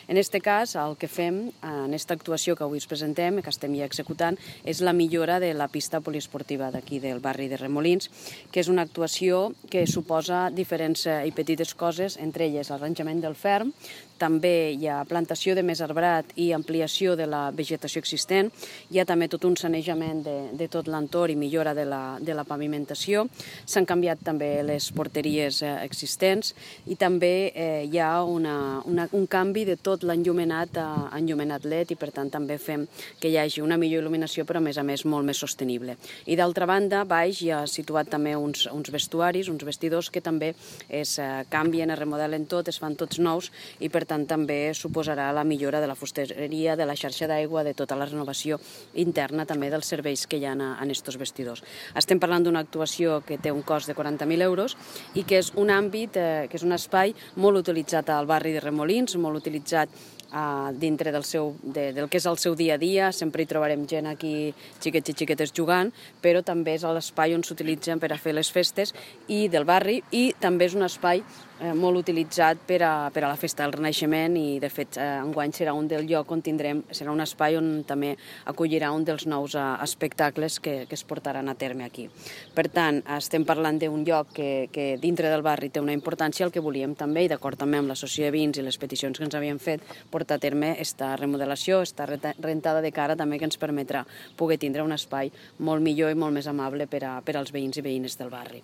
En aquest cas, el que fem en aquesta actuació que avui us presentem, que estem ja executant, és la millora de la pista poliesportiva d'aquí del barri de Remolins, que és una actuació que suposa diferents i petites coses, entre elles l'arranjament del ferm, també hi ha plantació de més arbrat i ampliació de la vegetació existent, hi ha també tot un sanejament de tot l'entorn i millora de la pavimentació, s'han canviat també les porteries existents i també hi ha un canvi de tot l'enllumenat a enllumenat LED i per tant també fem que hi hagi una millor il·luminació però a més molt més sostenible. I d'altra banda, baix hi ha situat també uns vestuaris, uns vestidors que també es canvien, es remodelen tot, es fan tots nous i per tant també suposarà la millora de la fusteria, de la xarxa d'aigua, de tota la renovació interna també dels serveis que hi ha en aquests vestidors. Estem parlant d'una actuació que té un cost de 40.000 euros i que és un àmbit, que és un espai molt utilitzat al barri de Remolins, molt utilitzat dintre del que és el seu dia a dia, sempre hi trobarem gent aquí, xiquets i xiquetes jugant, però també és l'espai on s'utilitzen per a fer les festes i del barri i també és un espai molt utilitzat per a la festa del Renaixement i de fet enguany serà un del lloc on serà un espai on també acollirà un dels nous espectacles que es portaran a terme aquí. Per tant, estem parlant d'un lloc que dintre del barri té una importància, el que volíem també, i d'acord també amb l'associació de veïns i les peticions que ens havien fet, portar a terme aquesta remodelació, aquesta rentada de cara també que ens permetrà poder tindre un espai molt millor i molt més amable per als veïns i veïnes del barri.